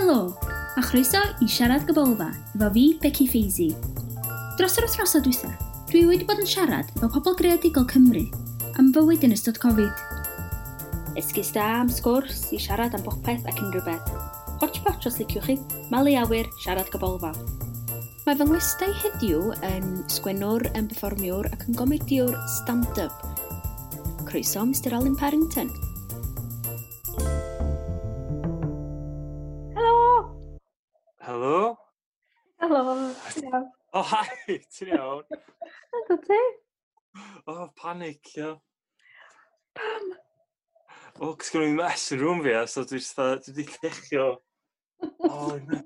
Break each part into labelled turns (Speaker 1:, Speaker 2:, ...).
Speaker 1: Helo, a chroeso i Siarad Gybolfa efo fi, Becky Feisey. Dros yr wythnosau dwytha, dwi wedi bod yn siarad efo pobl greadigol Cymru am fywyd yn ystod Covid. Esgus da am sgwrs i siarad am bopeth ac unrhyw beth. Hotchpotch os liciwch chi, malu awyr, siarad gybolfa. Mae fy ngwestai heddiw yn sgwennwr, yn perfformiwr ac yn gomediwr stand-up. Croeso, Mr Alun Parrington.
Speaker 2: Helo!
Speaker 3: Helo?
Speaker 2: Helo! Ti'n
Speaker 3: Oh, hi! Ti'n iawn?
Speaker 2: Ydw ti?
Speaker 3: Oh, panic, ia.
Speaker 2: Pam?
Speaker 3: O, oh, cos gen i mess yn room fi, a so dwi jyst dwi wedi llechio. Oh, no.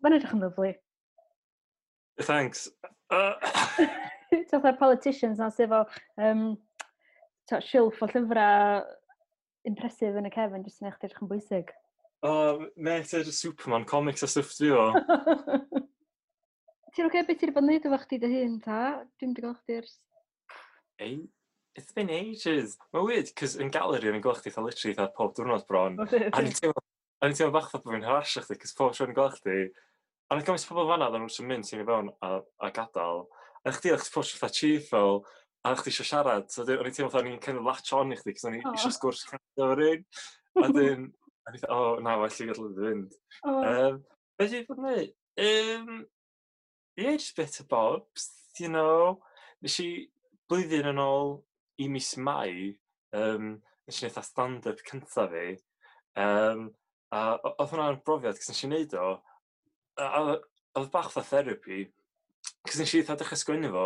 Speaker 2: Mae'n edrych yn lyfli.
Speaker 3: Thanks.
Speaker 2: Ti'n fatha'r politicians na sydd efo shilff o llyfrau impressive yn y cefn, jyst yn eich edrych yn bwysig.
Speaker 3: Oh, mate, just Superman comics a stuff dwi o.
Speaker 2: Ti'n oce, okay, beth ti'n bod yn neud efo chdi dy hun, ta? Dwi'n wedi gweld chdi ers...
Speaker 3: Ei, it's been ages. Mae'n weird, cos yn galeri o'n i'n gweld chdi fatha literally fatha pob diwrnod bron. A ni'n teimlo bach fatha bod fi'n harasio chdi, cos pob tro o'n i'n gweld chdi. A ni'n gymaint o pobl fan'na, oedden nhw'n jyst yn mynd ti'n i fewn a gadael. A chdi, o'ch chdi pob tro fatha cheerful, a o'ch chdi eisiau siarad. So o'n i'n teimlo fatha o'n i'n kind of latch on i chdi, cos o'n i eisiau sgwrs kind of rhywun. A dyn, a ni'n oh, na, well i gadael iddo fynd.
Speaker 2: Oh.
Speaker 3: Be dwi wedi bod yn neud? Yeah, just bit of bobs. Nes i blwyddyn yn ôl i mis Mai, nes i wneud stand-up cyntaf fi. A oedd hwnna'n brofiad, cos nes i wneud o, a oedd bach fatha therapy, cos nes i eitha dechrau sgwennu fo,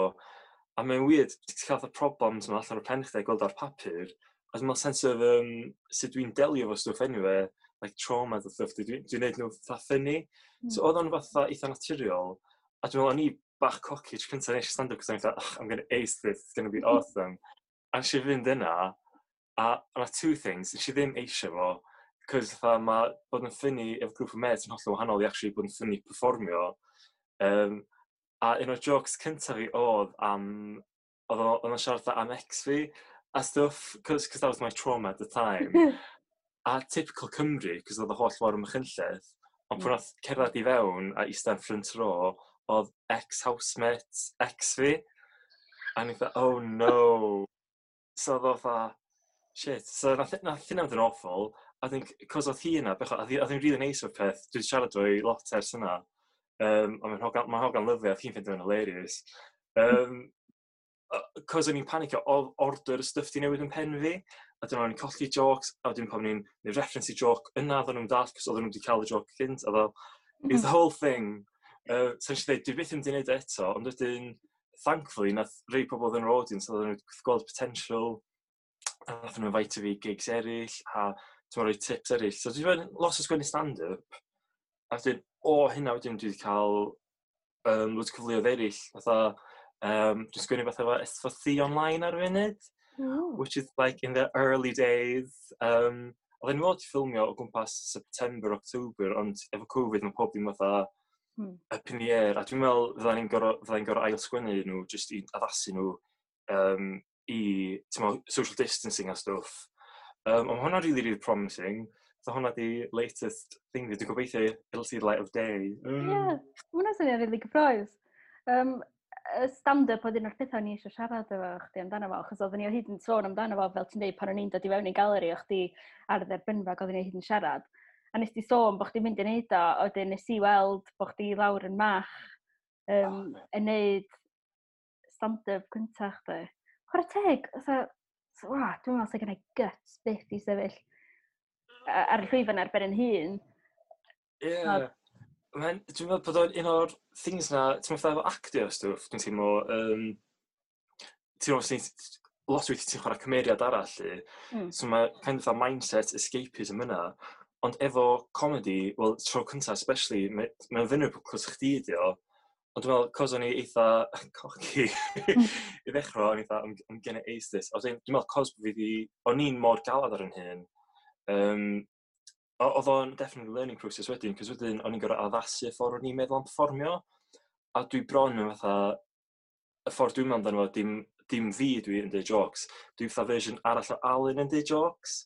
Speaker 3: a mae'n weird, ti'n cael fatha problems yma allan o'r pen chdi a gweld ar papur, a dwi'n meddwl sense of sut dwi'n delio efo stwff anyway, like trauma a stuff, dwi'n dwi neud nhw fatha funny. So oedd o'n fatha eitha naturiol, a dwi'n meddwl o'n i bach cocky tro cyntaf nes i stand-up, cos o'n i fatha, "Oh, I'm gonna ace this, it's gonna be awesome." A nes i fynd yna, a yna two things, nes i ddim eisiau fo, cos fatha mae bod yn funny efo grŵp o mates yn hollol wahanol i actually bod yn funny performio. A un o'r jokes cyntaf fi oedd am, oedd o'n siarad fatha am ex fi, a stuff, cos that was my trauma at the time. A typical Cymru, cos oedd y holl fawr ym Machynlleth, ond pwy nath cerdded i fewn a eistedd yn front row, oedd ex-housemate ex fi. A ni fatha, "Oh no." So oedd o fatha, shit. So nath hynna fynd yn awful. I think, cos oedd hi yna, bechod, oedd hi'n really nice o'r peth. Dwi'n siarad efo hi lot ers yna. A mae'n hogan, ma hogan lyfli, a oedd hi'n ffeindio fo'n hilarious. Cos o'n i'n panicio, oedd order y stuff di newid yn pen fi, a dyna o'n i'n colli jokes, a wedyn pan o'n i'n neud reference i joke yna, oedden nhw'n dall, cos oedden nhw wedi cael y joke cynt, a fel, it was the whole thing. So nes i ddweud, dwi byth yn mynd i wneud e eto, ond wedyn, thankfully, nath rei pobl oedd yn yr audience, oedden nhw gweld potential, a nath nhw invite fi i gigs eraill, a ti'n rhoi tips eraill. So dwi wedi bod lot o sgwennu stand-up, a wedyn, o hynna wedyn dwi wedi cael loads o cyfleoedd eraill, fatha, dwi'n sgwennu fatha efo S4C online ar y funud, which is like in the early days. Oedden ni fod i ffilmio o gwmpas September, October, ond efo Covid mae pob dim fatha up in the air, a dwi'n meddwl fydda ni'n gorfod ail sgwennu nhw jyst i addasu nhw i, ti'n meddwl, social distancing a stwff. Ond ma' hwnna'n really, really promising. So hwnna di latest thing fi. Dwi'n gobeithio it'll see the light of day.
Speaker 2: Ie, yeah, ma' hwnna'n swnio'n really gyffrous. Y stand-up oedd un o'r pethau o'n i eisiau siarad efo chdi amdano fo, achos oedden ni o hyd yn sôn amdano fo, fel ti'n deud, pan o'n i'n dod i fewn i'n galeri, o'ch chdi ar y dderbynfa, ac oedden ni o hyd yn siarad. A nes di sôn bod chdi'n mynd i wneud o, a wedyn nes i weld bod chdi lawr yn Mach
Speaker 3: Oh,
Speaker 2: yn neud stand-up cyntaf chdi. Chwarae teg, fatha, wa, dwi'n meddwl sy'n gennau guts byth i sefyll ar y llwyfan ar ben yn hun.
Speaker 3: Ie. Dwi'n meddwl bod o'n un o'r things na, ti'n meddwl fatha efo actio a stwff, dwi'n teimlo, ti'n meddwl, lot o weithiau ti'n chwarae cymeriad arall, lly. So mae kind of fatha mindset escapism yna. Ond efo comedy, wel, tro cyntaf especially, mae'n vulnerable cos chdi ydi o. Ond dwi'n meddwl, cos o'n i eitha cocky i ddechrau, o'n i eitha, I'm gonna ace this. A wedyn, dwi'n meddwl, cos fi di, o'n i'n mor galad ar yn hyn, oedd o'n definitely learning process wedyn, cos wedyn o'n i'n gorfod addasu y ffordd o'n i'n meddwl am perfformio. A dwi bron yn fatha, y ffordd dwi'n meddwl amdano fo, dim fi dwi yn deud jokes, dwi'n fatha version arall o Alun yn deud jokes.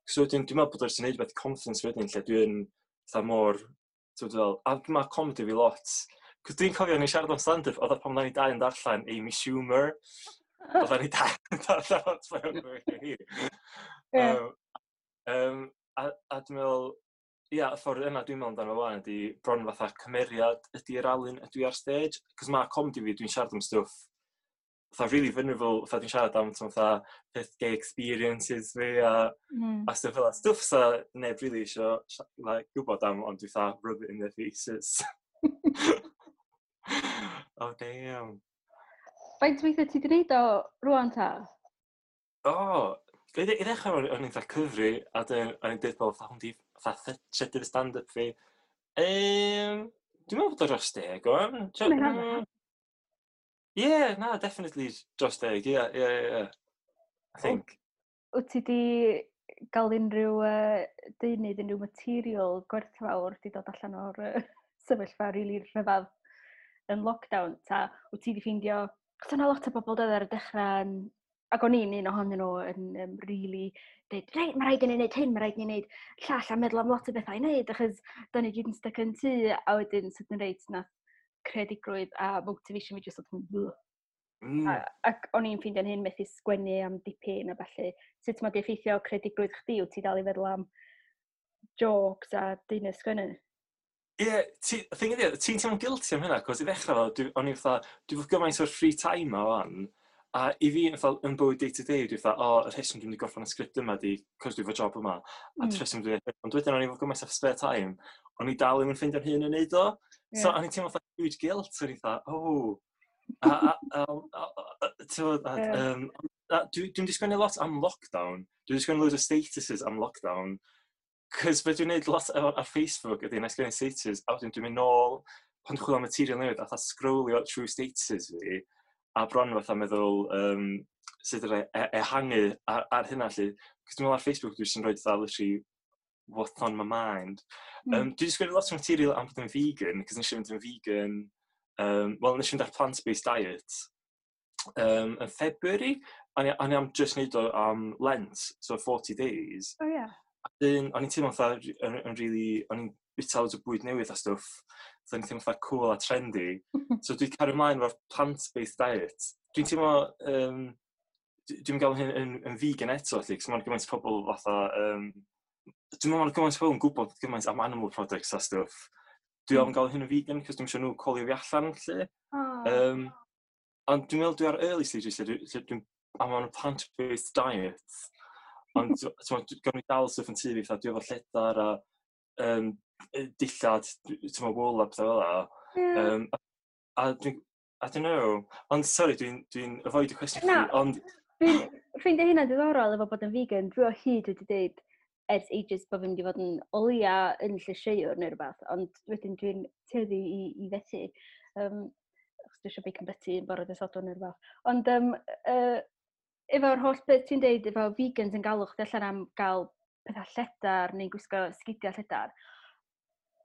Speaker 3: So wedyn, dwi'n meddwl bod o'r sy'n neud beth confidence wedyn, lle dwi'n Fatha mor, ti'n fel, a mae comedy fi lot. Cos dwi'n cofio ni'n siarad am stand-up, oedd pan oedden ni dau yn darllen Amy Schumer. Oedden ni dau yn darllen autobiography hi. A dwi'n meddwl, ia, y ffordd yna dwi'n meddwl amdano fo wan ydy bron fatha cymeriad ydy'r Alun ydw i ar stage. Cos mae comedy fi, dwi'n siarad am stwff fatha really vulnerable, fatha dwi'n siarad am fatha peth gay experiences fi a, a stwff fel. Stwff sa neb really isio like, gwybod am, ond dwi fatha rub it in their faces. Oh, damn.
Speaker 2: Faint weithiau ti wedi gwneud o rwan ta?
Speaker 3: O, oh, i ddechrau o'n i'n fatha cyfri, a dyn o'n i'n dweud bod fatha hwn di fatha trydydd stand-up fi. Dwi'n meddwl bod o dros 10 o'n. Yeah, na, definitely dros 10, yeah. I think.
Speaker 2: Wyt ti di gael unrhyw deunydd, unrhyw material gwerthfawr di dod allan o'r sefyllfa rili rhyfedd yn lockdown? Ta wyt ti di ffeindio... Chos yna lot o bobl doedd ar y dechrau yn, ac o'n i'n un ohonyn nhw yn really dweud, reit, mae rhaid i ni wneud hyn, mae rhaid i ni wneud llall, a meddwl am lot o bethau i wneud, achos da ni gyd yn stuck yn tŷ, a wedyn sydyn reit nath creadigrwydd a motivation fi jyst oedd yn. Ac o'n i'n ffeindio'n hyn methu sgwennu am dipyn a ballu. Sut mae di effeithio creadigrwydd chdi? Wyt ti dal i feddwl am jokes a deunydd sgwennu?
Speaker 3: Ie, yeah, thing ydi, ti'n teimlo'n guilty am hynna, cos i ddechrau fo, o'n i fatha, dwi fod gymaint o'r free time ma wan, a i fi, fatha, yn bywyd day to day, dwi fatha, o, y rheswm dwi'n mynd i gorffen y sgript yma di, cos dwi fo job yma, a rheswm dwi'n, ond wedyn o'n i fod gymaint o spare time, o'n i dal ddim yn ffeindio'n hun yn neud o. So, o'n i'n teimlo fatha huge guilt, o'n i fatha, oh, a, ti'n a dwi'n di sgwennu lot am lockdown, dwi'n di sgwennu loads o statuses am lockdown, cos be dwi'n neud lot ar Facebook ydy, na i sgwennu status, a wedyn dwi'n mynd nôl, pan dwi'n chwilio am material newydd, a fatha scrollio trwy statuses fi, a bron fatha meddwl sut ydw i ehangu ar hynna, lly. Cos dwi'n meddwl ar Facebook dwi'n jyst yn rhoi fatha literally what's on my mind. Dwi wedi sgwennu lot o material am bod yn vegan, cos nes i fynd yn vegan, well, nes i fynd ar plant-based diet yn February, a o'n i am just neud o am Lent, so 40 days.
Speaker 2: Oh yeah.
Speaker 3: A dyn, o'n i'n teimlo fatha yn really, o'n i'n bita loads o bwyd newydd a stwff, so o'n i'n teimlo fatha cool a trendy. So dwi'n cario ymlaen efo'r plant-based diet. Dwi'n teimlo, dwi'n gael hyn yn vegan eto, lly, cos mae'n gymaint o pobl fatha, dwi'n meddwl mae'n gymaint o pobl yn gwybod gymaint am animal products a stwff. Dwi ofn gael hyn yn vegan, cos dwi'n siŵr nhw colio fi allan, lly.
Speaker 2: Oh.
Speaker 3: Ond dwi'n meddwl dwi ar early stages, lle dwi'n, I'm on a plant-based diet. Ond gawn ni dal stwff yn tŷ fi, fatha dwi efo lledar a dillad, ti'n meddwl, wool a pethau fel 'na. A dwi'n, I don't know. Ond sorry, dwi avoid y cwestiwn
Speaker 2: Na.
Speaker 3: chdi, ond
Speaker 2: Dwi'n ffeindio hynna diddorol efo bod yn vegan. Dwi o hyd wedi dweud ers ages bod fi'n mynd i fod yn o leia yn llysieuwr neu rhywbeth, ond wedyn dwi'n tueddu i fethu. Achos dwi eisiau bacon butty yn bore dydd Sadwrn neu rhywbeth. Ond efo'r holl beth ti'n deud, efo vegans yn galw chdi allan am gael pethau lledar neu gwisgo sgidiau lledar,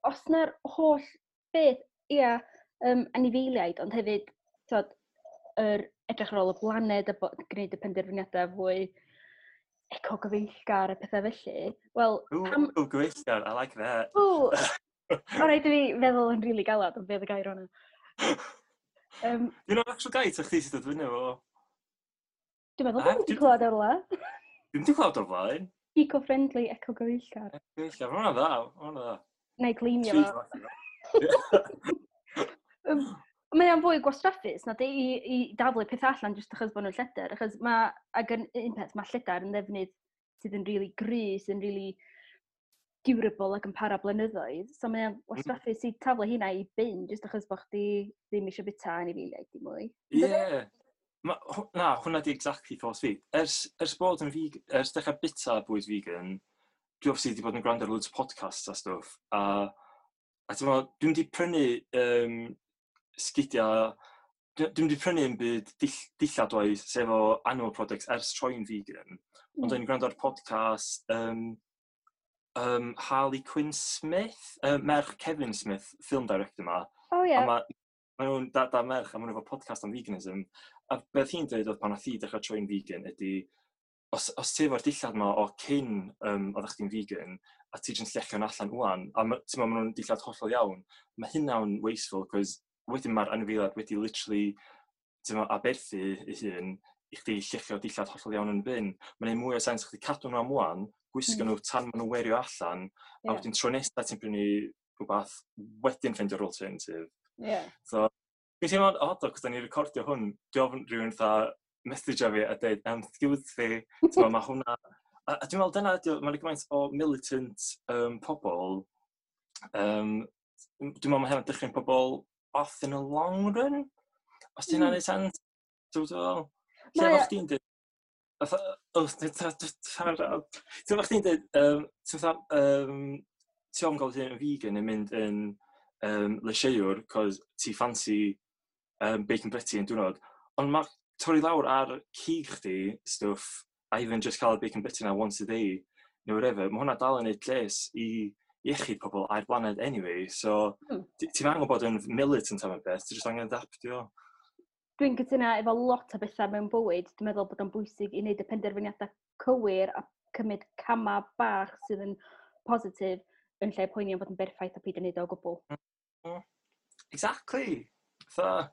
Speaker 2: os na'r holl beth, ia, anifeiliaid, ond hefyd, t'od, yr edrych ar ôl y blaned a gwneud y penderfyniadau fwy eco-gyfeillgar a pethau felly. Wel,
Speaker 3: Ooh,
Speaker 2: pam
Speaker 3: eco-gyfeillgar, I like that.
Speaker 2: Ww, o rhaid i fi feddwl yn rili galad am beth y gair hwnna.
Speaker 3: Dwi'n o'r actual gair, ta chdi sydd dod fyny efo?
Speaker 2: Dwi'n meddwl
Speaker 3: Ah,
Speaker 2: bod fi wedi clywed o'r le.
Speaker 3: Dwi'm wedi clywed o'r blaen.
Speaker 2: Eco-friendly, eco-gyfeillgar.
Speaker 3: Eco-gyfeillgar, ma' hwnna'n dda, ma' hwnna'n dda.
Speaker 2: Neu gleimio
Speaker 3: Tri
Speaker 2: fo.
Speaker 3: fath o.
Speaker 2: Mae o'n fwy gwastraffus na di i daflu pethau allan jyst achos bod nhw'n lledr. Achos mae, ac yn un peth, mae lledr yn ddefnydd sydd yn rili gry, sydd yn rili durable ac yn para blynyddoedd. So mae o'n wastraffus i taflu hynna i bin jyst achos bod chdi ddim eisiau bita anifeiliaid dim mwy.
Speaker 3: Ie. Yeah. Na, hwnna di exactly thoughts fi. Ers bod yn vegan, ers dechrau bita bwyd vegan, dwi obviously wedi bod yn gwrando ar loads o podcasts a stwff. A ti'n meddwl, dwi'n di prynu sgidiau, dwi'n di prynu yn byd dillad oes, sef o animal products ers troi'n vegan. Ond dwi'n gwrando ar podcast Harley Quinn Smith, merch Kevin Smith, film director ma.
Speaker 2: Oh, ie.
Speaker 3: A ma nhw'n da merch, a ma nhw efo podcast am veganism. A beth hi'n dweud oedd pan nath hi dechrau troi'n vegan ydy, os ti efo'r dillad yma o cyn oeddech chdi'n vegan, a ti jyst llechio allan wan, a ti'n meddwl maen nhw'n dillad hollol iawn, mae hynna'n wasteful, cos wedyn mae'r anifeiliad wedi literally, ti'n meddwl, aberthu ei hun i chdi llechio dillad hollol iawn yn y bin. Mae'n gwneud mwy o sens chdi cadw nhw am wan, gwisgo nhw tan maen nhw'n werio allan, a wedyn tro nesaf ti'n prynu rhywbeth, wedyn ffeindio'r alternative. So, dwi'n teimlo'n odd o, cos da ni'n recordio hwn, dwi ofn rhywun fatha message fi a dweud, "Excuse me," ti'n meddwl, mae hwnna. A dwi'n meddwl dyna ydi o, mae'n gymaint o militant pobl, dwi'n meddwl mae hynna'n dechrau pobl off in the long run, os ti'n mm. Sense, ti'n meddwl? Lle efo chdi'n dweud, fatha, oh, ti'n meddwl chdi'n dweud, ti'n fatha, ti ofn gael hyn yn vegan yn mynd yn lysieuwr, cos ti fancy bacon butty yn diwrnod, ond mae torri lawr ar cig chdi, stwff, a even just cael y bacon butty na once a day, neu whatever, mae hwnna dal yn neud lles i iechyd pobl a'r blaned anyway, so ti'n angen bod yn militant am y beth, ti'n just angen adaptio.
Speaker 2: Dwi'n cytuno efo lot o bethau mewn bywyd. Dwi'n meddwl bod o'n bwysig i wneud y penderfyniadau cywir a cymryd camau bach sydd yn positif yn lle poeni am fod yn berffaith a peidio wneud o gwbl.
Speaker 3: Exactly. Fatha,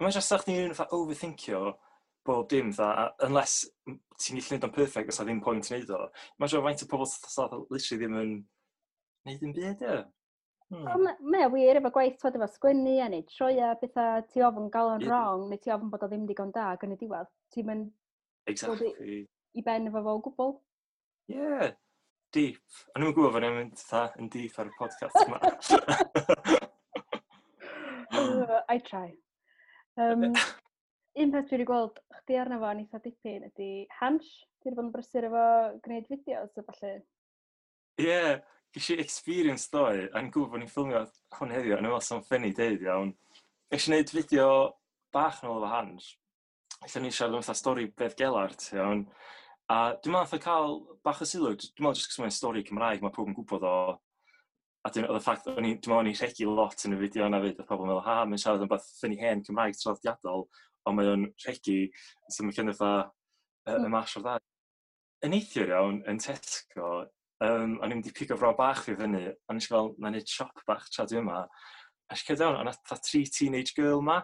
Speaker 3: mae'n just sa chdi'n fatha overthinkio bob dim, fatha, unless ti'n gallu neud o'n perfect, oes ddim point wneud o. Mae'n siŵr faint o pobl sydd literally ddim yn neud yn byd, ie.
Speaker 2: Ond mae o wir efo gwaith, twod, efo sgwennu a neud sioea, bethau, ti ofn gael o'n wrong, neu ti ofn bod o ddim digon da ac yn y diwedd. Ti'n mynd i ben efo fo o gwbl.
Speaker 3: Yeah. Deep. O'n i'n gwybod fod ni'n mynd fatha yn deep ar y podcast yma.
Speaker 2: I try. Un peth dwi wedi gweld chdi arno fo yn eitha dipyn ydy Hansh. Ti wedi bod yn brysur efo gwneud fideos a falle.
Speaker 3: Ie, yeah, ges i experience ddoe, a ni'n gwybod bod ni'n ffilmio hwn heddiw, a ni'n meddwl sa'n funny deud iawn. Nes i wneud fideo bach yn ôl efo Hansh, lle ni'n siarad am fatha stori Beddgelert, iawn. A dwi'n meddwl nath o cael bach o sylw, dwi'n meddwl jyst cos mae'n stori Cymraeg, mae pob yn gwybod o. A dwi'n, oedd y ffact, o'n i, dwi'n meddwl o'n i'n rhegi lot yn y fideo yna fyd, oedd pobl yn meddwl, "Ha, mae'n siarad am beth funny hen Cymraeg traddodiadol, ond mae o'n rhegi," so mae'n kind of fatha, y mash o'r ddau. Yn neithiwr iawn, yn Tesco, o'n i'n mynd i pigo fro bach fi fyny, a nes i fel, "Na'n neud siop bach tra dwi yma." A nes i cerdded fewn, a nath fatha tri teenage girl ma,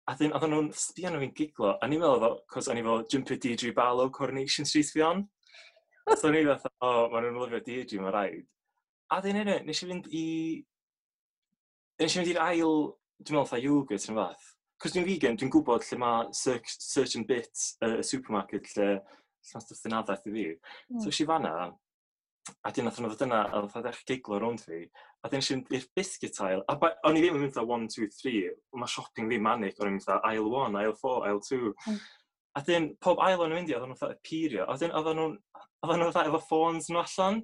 Speaker 3: a dyn, oedden nhw'n sbio arno fi'n giglo, a ni'n meddwl, cos o'n i fel jumper Deirdre Barlow Coronation Street fi on. So o'n i fatha, "O, oh, maen nhw'n lyfio Deirdre, mae'n rhaid." A dyn anyway, nes i fynd i'r ail, dwi'n meddwl fatha yoghurt yn fath. Cos dwi'n vegan, dwi'n gwybod lle mae certain bit y supermarket lle mae stwff yn addas i fi. So es i fanna, a dyn nath nhw ddod yna, a fatha ddechrau giglo rownd fi. A dyn nes i fynd i'r biscuit aisle, a o'n i ddim yn mynd fatha 1, 2, 3, mae shopping fi manic, o'n i'n mynd fatha aisle 1, aisle 4, aisle 2. A dyn, pob aisle o'n i'n mynd i, oedden nhw'n fatha appeario, a dyn, oedden nhw fatha efo ffôns nhw allan,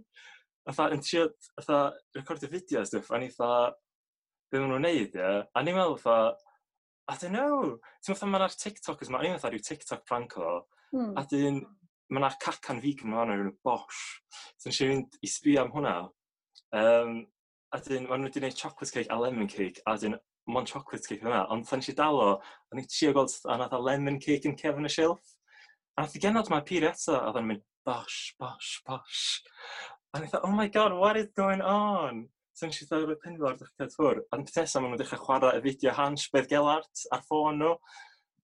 Speaker 3: fatha yn trio, fatha, recordio fideo a stwff, a ni fatha, "Be maen nhw'n neud, ie?" A ni'n meddwl fatha, I don't know. Ti'n meddwl fatha mae'na TikTokers ma, o'n i'n meddwl fatha rhyw TikTok prank o, a dyn, mae yna cacan vegan ma yna, Bosh. So nes i fynd i sbio am hwnna. A dyn, maen nhw wedi gwneud chocolate cake a lemon cake, a dyn, mond chocolate cake yna. Ond pan nes i dal o, o'n i'n trio gweld a nath a lemon cake yn cefn y shelf. A nath i genod ma appeario eto, a oedd o'n mynd, "Bosh, Bosh, Bosh." A o'n i fatha, "Oh my God, what is going on?" So nes i ddod o'r penfawr dechrau ffwr. A peth nesaf, maen nhw'n dechrau chwarae y fideo Hansh Beddgelert ar ffôn nhw.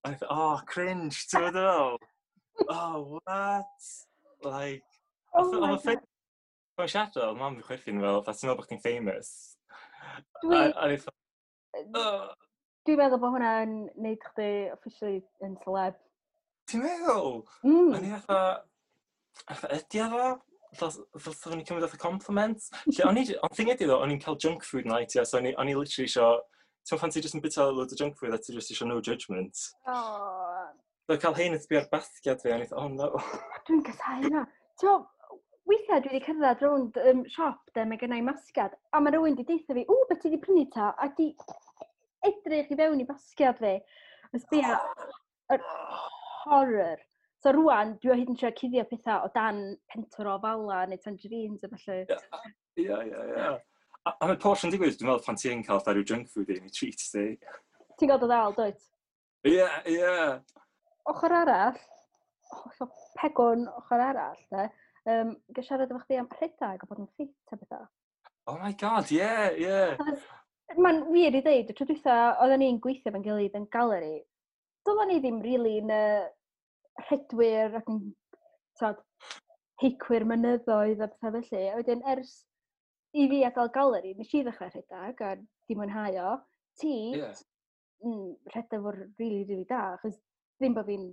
Speaker 3: A o'n i fatha, "Oh, cringe," ti'n meddwl fel? "Oh, what?" Like,
Speaker 2: Oh my
Speaker 3: oedd
Speaker 2: God.
Speaker 3: Mae'n siarad, oedd mam fi chwerthin fel, fatha, "Ti'n meddwl bod chdi'n famous?" A o'n i fatha, "Oh."
Speaker 2: Dwi'n meddwl bod hwnna'n neud chdi officially yn celeb.
Speaker 3: Ti'n meddwl?
Speaker 2: Mm.
Speaker 3: O'n i fatha, ydy o ddo? Ddylsa o'n i'n cymryd fatha compliment? Lle o'n i, ond thing ydy ddo, o'n i'n cael junk food night, yeah, so o'n i literally isio, ti'n pan ti jyst yn bita loads o junk food a ti jyst isio no judgment.
Speaker 2: Oh,
Speaker 3: So cael hein yn sbio ar basgiad fi, o'n i fatha, "Oh no."
Speaker 2: Dwi'n casau hynna. Ti'n meddwl, weithiau dwi wedi cerdded rownd siop de, mae gennau masgiad, a mae rhywun wedi deutha fi, "Ww, beth ti wedi prynu ta?" A di edrych i fewn i basgiad fi. A sbia, yr horror. So rwan, dwi o hyd yn trio cuddio pethau o dan pentwr o fala neu tangerines a falle.
Speaker 3: Ie. A mae Porsche yn digwydd, dwi'n meddwl pan ti'n cael fatha rhyw junk food day neu treat day.
Speaker 2: Ti'n gael dy ddal, dwyt?
Speaker 3: Ie.
Speaker 2: Ochr arall, hollol pegwn ochr arall, de, gael siarad efo chdi am rhedeg a bod yn ffit a bethau.
Speaker 3: Oh my God, yeah.
Speaker 2: Mae'n wir i ddeud, y tro dwytha oedden ni'n gweithio efo'n gilydd yn galeri, doedden ni ddim really yn rhedwyr ac yn tod, heicwyr mynyddoedd a pethau felly. A wedyn ers i fi adael galeri, nes i ddechrau rhedeg a di mwynhau o. Ti, rhedeg fo'r really, really da, achos ddim bod fi'n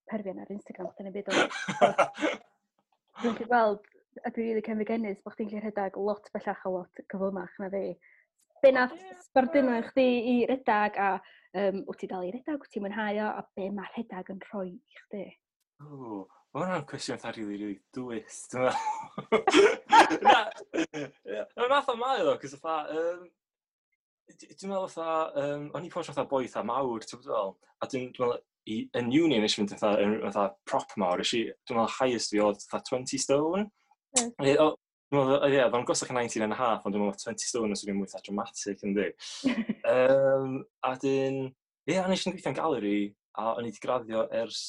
Speaker 2: perfio'n ar Instagram chdi neu byd, ond dwi'n gallu gweld, a dwi'n rili cenfigennus bod chdi'n gallu rhedeg lot bellach a lot cyflymach na fi. Be nath sbarduno i chdi i redag a wyt ti dal i redag, wyt ti'n mwynhau o, a be mae rhedeg yn rhoi i chdi?
Speaker 3: O, mae hwnna'n cwestiwn fatha really, really dwys, dwi'n meddwl. Na, mae'n fath o mae o, cos fatha, dwi'n meddwl fatha, o'n i pob fatha boi fatha mawr, ti'n meddwl, a dwi'n meddwl, yn uni nes i fynd fatha, yn fatha prop mawr, nes i, dwi'n meddwl highest fi oedd fatha 20 stone. Ie, o, dwi'n meddwl, ie, oedd o'n gosach yn 19 and a half, ond dwi'n meddwl 20 stone os yw'n mwy fatha dramatic, yndi. A dyn, ie, o'n i eisiau gweithio'n galeri, a o'n i wedi graddio ers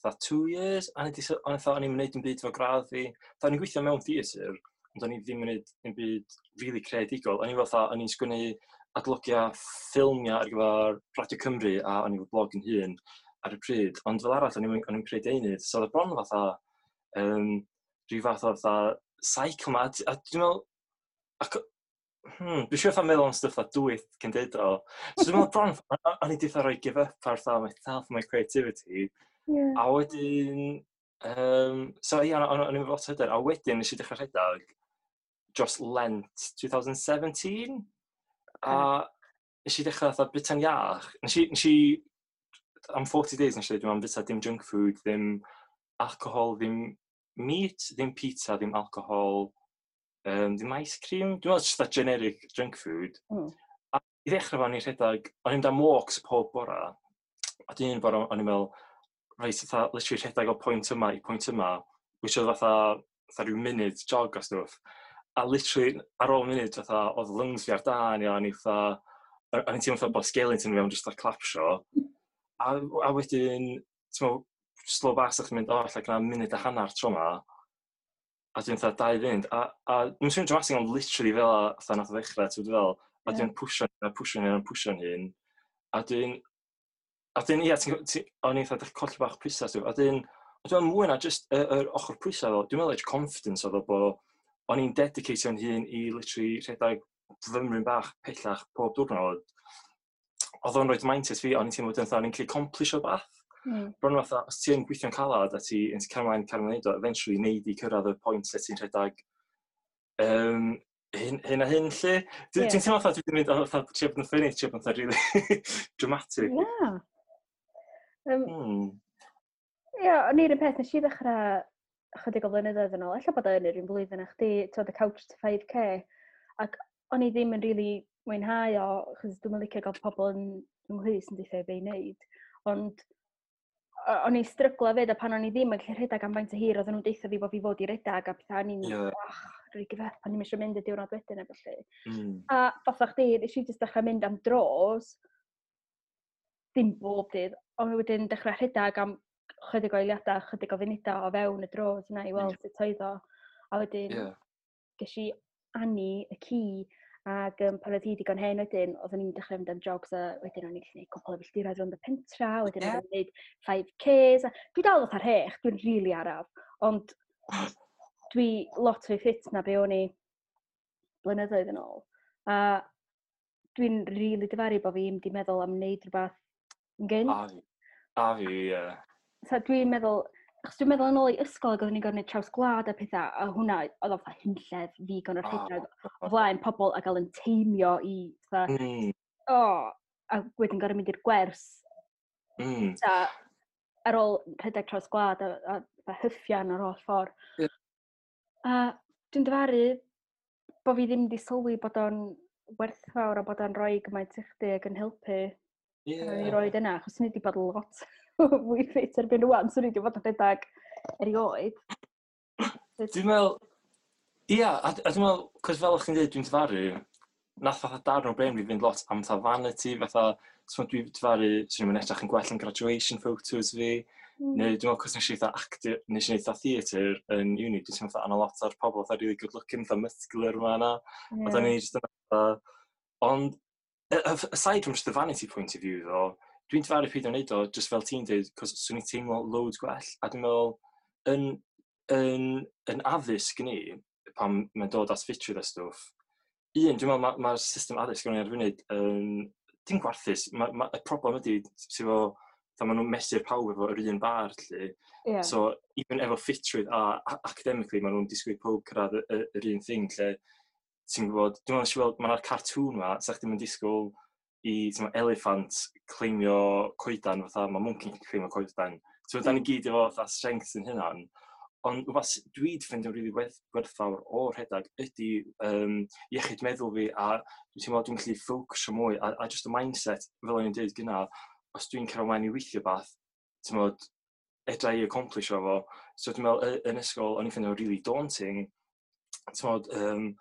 Speaker 3: fatha 2 years, a o'n i fatha, o'n i'n gwneud dim byd efo gradd fi. Fatha, o'n i'n gweithio mewn theatr, ond o'n i ddim yn gwneud dim byd really creadigol. O'n i fel fatha, o'n i'n sgwennu adlygiau ffilmiau ar gyfer Radio Cymru, a o'n i efo blog yn hun ar y pryd. Ond fel arall, o'n i'n creu deunydd. So oedd bron fatha, rhyw fath o fatha cycle ma. A dwi'n meddwl, ac, dwi'n siŵr fatha meddwl am stwff fatha dwyth cyn deud o. So dwi'n meddwl bron, o'n i 'di fatha rhoi give up ar fatha myself, my creativity. A wedyn, so ie, o'n i'n lot o hyder. A wedyn nes i dechrau rhedeg dros Lent 2017. A nes i dechrau fatha bwyta'n iach. Nes i, am 40 days nes i dweud, dwi'n bwyta dim junk food, ddim alcohol, ddim meat, ddim pizza, ddim alcohol, ddim ice cream. Dwi'n meddwl just that generic junk food. A i ddechrau fo, o'n i'n rhedeg, o'n i'n mynd am walks pob bora. A dwi'n bora, o'n i'n meddwl, reit, fatha, literally rhedeg o pwynt yma i pwynt yma, which oedd fatha rhyw munud jog o stwff. A literally, ar ôl munud, fatha, oedd lungs fi ar dân, ia, o'n i fatha, o'n i'n teimlo fatha bod skeleton fi am just fatha clapsio. A wedyn, ti'n meddwl, slow bach, sa'ch chi'n mynd, o, allai gwna munud a hanner tro yma. A dwi'n fatha 2 funud. A dwi'n swnio dramatic, ond literally fel a, fatha nath o ddechrau, ti'n fel, a dwi'n pwsio, a pwsio hyn, a pwsio hyn. A dwi'n, ia, o'n i'n fatha dechrau colli bach pwysau, ti'n a dwi'n, a dwi'n mwy na just yr ochr pwysau, fel, dwi'n meddwl edge confidence oedd o bo, o'n i'n dedicatio'n hun i literally rhedeg fymryn bach pellach pob diwrnod. Oedd o'n rhoi mindset fi, o'n i'n teimlo wedyn fatha, o'n i'n gallu accomplish o bath. Bron fatha, os ti'n gweithio'n calad a ti'n cael ymlaen, cael ymlaen o, eventually neud i cyrraedd y pwynt lle ti'n rhedeg hyn, hyn a hyn lle. Dwi'n teimlo fatha dwi wedi mynd fatha trio bod yn funny, trio bod yn fatha really dramatic.
Speaker 2: Na. Ie, o'n i'r un peth, nes i ddechrau chydig o flynyddoedd yn ôl, ella bod o yn yr un blwyddyn â chdi, ti'n y Couch to 5K, ac o'n i ddim yn really mwynhau o, achos dwi'n licio gael pobl yn ynglŷs yn deutha i be i wneud, ond o'n i'n stryglo fyd, a pan o'n i ddim yn gallu rhedeg am faint o hir, oedden nhw'n deutha fi bod fi fod i redeg, a pethau, o'n i'n, ach, rili give up, o'n i'n eisiau mynd y diwrnod wedyn a felly. A fatha chdi, nes i jyst dechrau mynd am dros, dim bob dydd, ond wedyn dechrau rhedeg am chydig o eiliadau, chydig o funudau o fewn y dros yna i weld sut oedd o. A wedyn ges i Annie, y ci, ac pan oedd hi digon hen wedyn, oedden ni'n dechrau mynd am jogs a wedyn o'n i'n gallu gwneud cwpl o filltiroedd rownd y pentra, wedyn o'n i'n gwneud 5Ks. A dwi dal fatha'r hech, dwi'n rili really araf, ond dwi lot fwy ffit na be o'n i blynyddoedd yn ôl. A dwi'n rili really difaru bod fi ddim wedi meddwl am wneud rhywbeth yn gynt.
Speaker 3: A fi. A fi, ie.
Speaker 2: So dwi'n meddwl, achos dwi'n meddwl yn ôl i ysgol ac oedden ni'n gorfod gwneud traws gwlad a pethau, a hwnna oedd o fatha hunllef fi gorfod rhedeg o flaen pobl a gael yn teimio i, fatha, oh, a wedyn gorfod mynd i'r gwers. Ta, ar ôl rhedeg traws gwlad a fatha hyffian ar ôl ffordd. A dwi'n dyfaru bod fi ddim wedi sylwi bod o'n werthfawr a bod o'n rhoi gymaint i chdi ac yn helpu. Pan o'n i roed yna, achos ni wedi bod lot fwy ffit erbyn rwan, so ni wedi bod yn rhedeg erioed.
Speaker 3: Dwi'n meddwl, ia, a dwi'n meddwl, cos fel o'ch chi'n dweud, dwi'n dyfaru, Nath fatha darn o brain fi fynd lot am fatha vanity, fatha, so dwi dyfaru, swn i'n edrych yn gwell yn graduation photos fi, neu dwi'n meddwl, cos nes i fatha actor, nes i wneud fatha theatr yn uni, dwi'n teimlo fatha, anna lot o'r pobl fatha really good looking, fatha muscular yma yna, a da ni just yn fatha, ond, aside from just the vanity point of view though, dwi'n dyfaru peidio wneud o, just fel ti'n dweud, cos swn i'n teimlo loads gwell, a dwi'n meddwl, yn addysg ni, pan mae'n dod at ffitrwydd a stwff, un, dwi'n meddwl mae'r ma system addysg yn ar funud yn dim gwarthus. Ma, y problem ydy, sydd efo, fatha maen nhw'n mesur pawb efo yr un bar, lle. So, even efo ffitrwydd a academically, maen nhw'n disgwyl pawb cyrraedd yr un thing, lle ti'n gwybod, dwi'n meddwl, weld, mae'na cartoon ma, sa chdi'n mynd disgwyl i, ti'n meddwl, elephant cleimio coedan, fatha mae monkey cleimio coedan. Ti'n meddwl, da ni gyd efo fatha strengths yn hynna'n. Ond rhywbeth dwi wedi ffeindio'n rili werthfawr o'r rhedeg ydy iechyd meddwl fi a dwi'n teimlo dwi'n gallu ffocysio mwy a just y mindset, fel o'n i'n dweud gyna, os dwi'n cael ymlaen i weithio beth, ti'n meddwl, edra i accomplish o fo. So dwi'n meddwl, yn ysgol, o'n i'n ffeindio'n really daunting, ti'n meddwl,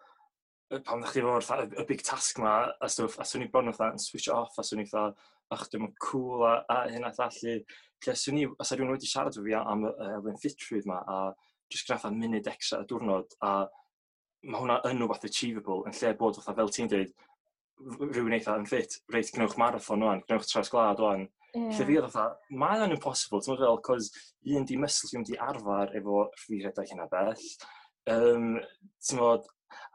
Speaker 3: pan ddech chi efo'r fatha y big task ma a stwff, a swn i bron fatha yn switch off, a swn i fatha, "Ach, dwi'n cool," a hyn a llall. Lle swn i, os rhywun wedi siarad efo fi am y elfen ffitrwydd ma, a just gyda fatha munud extra y diwrnod, a mae hwnna yn rhywbeth achievable, yn lle bod fatha, fel ti'n dweud, rhywun eitha yn ffit, reit, gwnewch marathon wan, gwnewch traws gwlad wan. Lle fi oedd fatha, mae o'n impossible, ti'n meddwl, cos un di muscle fi wedi arfer efo fi rhedeg hynna bell. Ti'n meddwl,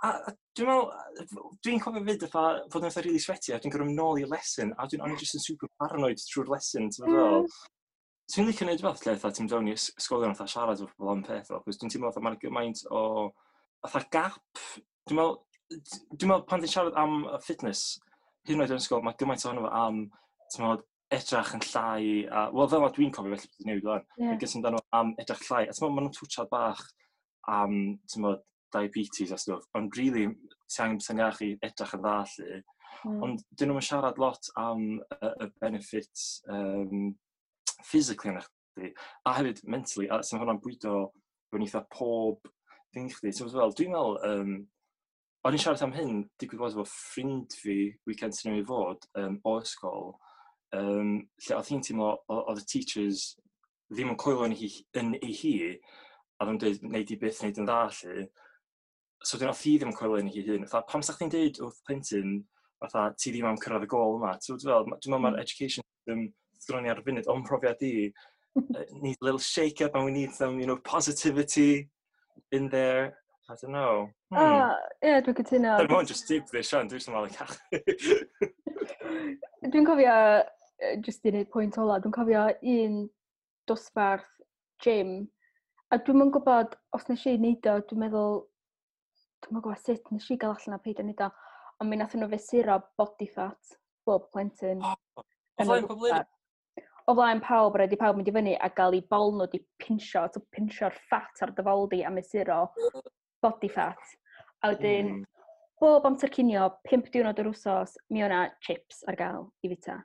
Speaker 3: a dwi'n meddwl, dwi'n cofio fyd fatha, fod yn fatha really sweaty, a dwi'n gorfod mynd nôl i'r lesson, a dwi'n o'n i just yn super paranoid trwy'r lesson, ti'n meddwl? Ti'n licio neud fath lle fatha ti'n mynd fewn i ysgolion fatha siarad efo pobl am peth o, cos dwi'n teimlo fatha mae'n gymaint o fatha gap. Dwi'n meddwl pan ti'n siarad am y fitness, hyd yn oed yn ysgol, mae gymaint ohono fo am, ti'n meddwl, edrych yn llai, a, wel, fel ma dwi'n cofio, felly bod newid wan, yeah. Gymaint amdano am edrych llai, a ti'n meddwl, maen nhw'n twtsiad bach am, ti'n meddwl, diabetes a stwff, ond really, ti angen bysa'n iach i edrych yn dda, lly. Ond dyn nhw'n siarad lot am y benefits physically yn chdi, a hefyd mentally, a sy'n hwnna'n bwydo fewn eitha pob thing chdi. Ti'n fel, dwi'n meddwl, o'n i'n siarad am hyn, digwydd bod efo ffrind fi, weekend sy'n ei fod, o ysgol, lle oedd hi'n teimlo, oedd y teachers ddim yn coelio yn ei hi, a oedd yn dweud, "Nei di byth wneud yn dda," lle. So dyn oedd hi ddim yn coelio yn ei hun. Fatha, pam sa chdi'n deud wrth plentyn, fatha, ti ddim am cyrraedd y gol yma? Ti'n fel, dwi'n meddwl mae'r education system sgynnon ni ar y funud, o'n profiad i, need a little shake up and we need some positivity in there. I don't know.
Speaker 2: Ah, ie, dwi'n cytuno.
Speaker 3: Dwi'n meddwl just gibberish, Sian, dwi'n meddwl cachu.
Speaker 2: Dwi'n cofio, jyst i wneud pwynt ola, dwi'n cofio un dosbarth gym, a dwi'n yn gwybod os nes i wneud o, dwi'n meddwl, dwi'n yn gwybod sut nes i gael allan a peidio wneud o, ond mi nath nhw fesuro body fat bob plentyn.
Speaker 3: O yn y flaen pobl eraill?
Speaker 2: O flaen pawb, rhaid i pawb mynd i fyny a gael eu bol nhw di pinsio, so pinsio'r fat ar dy fol di a mesuro body fat. A wedyn, bob amser cinio, 5 diwrnod yr wsos, mi o'na chips ar gael i fita.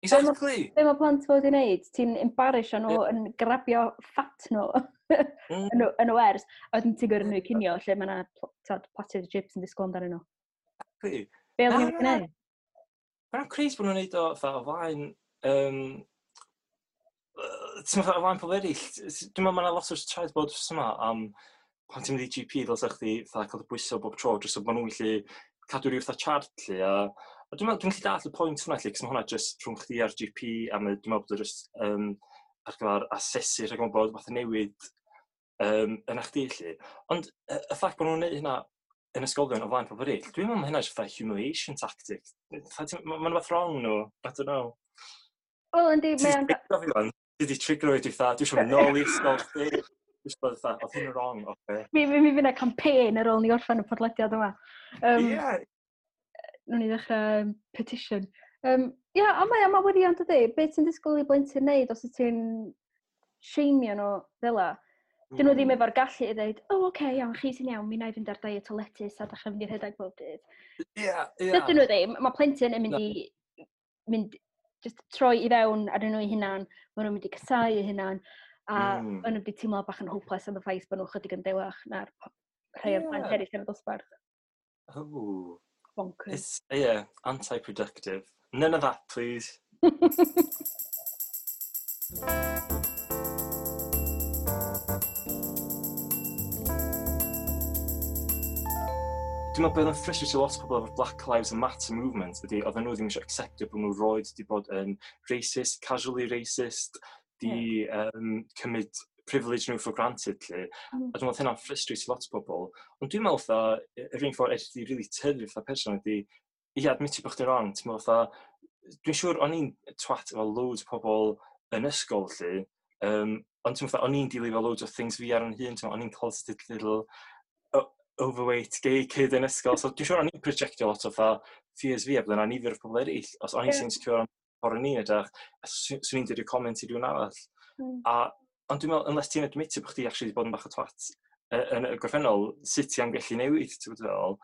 Speaker 2: Be mae plant fod i wneud? Ti'n embarrassio nhw yn grabio fat nhw yn y wers. A wedyn ti'n gyrru nhw i cinio lle mae yna platiad o chips yn disgwyl amdanyn nhw. Be oedden
Speaker 3: ni'n
Speaker 2: gwneud?
Speaker 3: Mae'n crazy bod nhw'n neud o fatha o flaen, ti'n meddwl, o flaen pobl eraill. Dwi'n meddwl mae yna lot o traed bod wrth yma am pan ti'n mynd i GP ddylsa chdi fatha cael dy bwyso bob tro, jyst so maen nhw'n gallu cadw rhyw fatha chart lle. A dwi'n meddwl, dwi'n gallu dallt y pwynt hwnna lle, cos mae hwnna jyst rhwng chdi a'r GP, a dwi'n meddwl bod o jyst ar gyfer asesu rhag ofn bod fath o newid yna chdi lle. Ond y ffact bod nhw'n neud hynna yn ysgolion o flaen pobl eraill, dwi'n meddwl mae hynna jyst fatha humiliation tactic. Mae'n rhywbeth wrong nhw, I don't know.
Speaker 2: Wel, yndi,
Speaker 3: mae o'n trigro fi wan. Ti di trigro fi, dwi'n fatha, dwi eisiau mynd nôl i ysgol chdi. Dwi eisiau bod fatha, oedd hyn yn wrong, oce.
Speaker 2: Mi fydd yna campaign ar ôl ni orffen y podlediad yma. Nw'n ni ddechrau petition. Ia, ond mae wirion dydy. Be ti'n disgwyl i blentyn wneud os wyt ti'n shameio nhw fel 'a? Dyn nhw ddim efo'r gallu i ddweud, "O, oh, oce, okay, iawn, chi sy'n iawn, mi wna i fynd ar diet o lettuce a dechrau fynd i'r rhedeg bob dydd."
Speaker 3: Ie.
Speaker 2: Dydyn nhw ddim. Mae plentyn yn mynd i mynd, just troi i fewn ar nhw eu hunan, maen nhw'n mynd i casáu eu hunan, a maen nhw'n mynd i teimlo bach yn hopeless am y ffaith bod nhw chydig yn dewach na'r rhai o'r plant eraill yn y dosbarth.
Speaker 3: Oh.
Speaker 2: Bonkers.
Speaker 3: It's, yeah, anti-productive. None of that, please. Dwi'n meddwl bod yn frustrated lot o pobl efo'r Black Lives Matter movement ydy, oedden nhw ddim eisiau acceptio bod nhw roed wedi bod yn racist, casually racist, di cymryd privilege nhw for granted, lle. A dwi'n meddwl hynna'n frustrated lot o bobl. Ond dwi'n meddwl fatha, yr un ffordd edrych di really tyfu fatha person ydy, i admitio bod chdi'n wrong. Ti'n meddwl fatha, dwi'n siŵr o'n i'n twat efo loads o pobl yn ysgol, lle, ond ti'n meddwl fatha, o'n i'n dealio efo loads o things fi ar yn hun, ti'n meddwl, o'n i'n closeted little overweight gay kid yn ysgol, so dwi'n siŵr o'n i'n projectio lot o fatha fears fi a bydde 'na nifer o pobl eraill, os o'n i'n insecure am ffordd o'n i'n edrych, swn i'n dweud y comment i rhywun arall. Ond dwi'n meddwl, unless ti'n admitio bod chdi actually wedi bod yn bach o twat yn y gorffennol, sut ti am gallu newid, ti'n gwbod fel?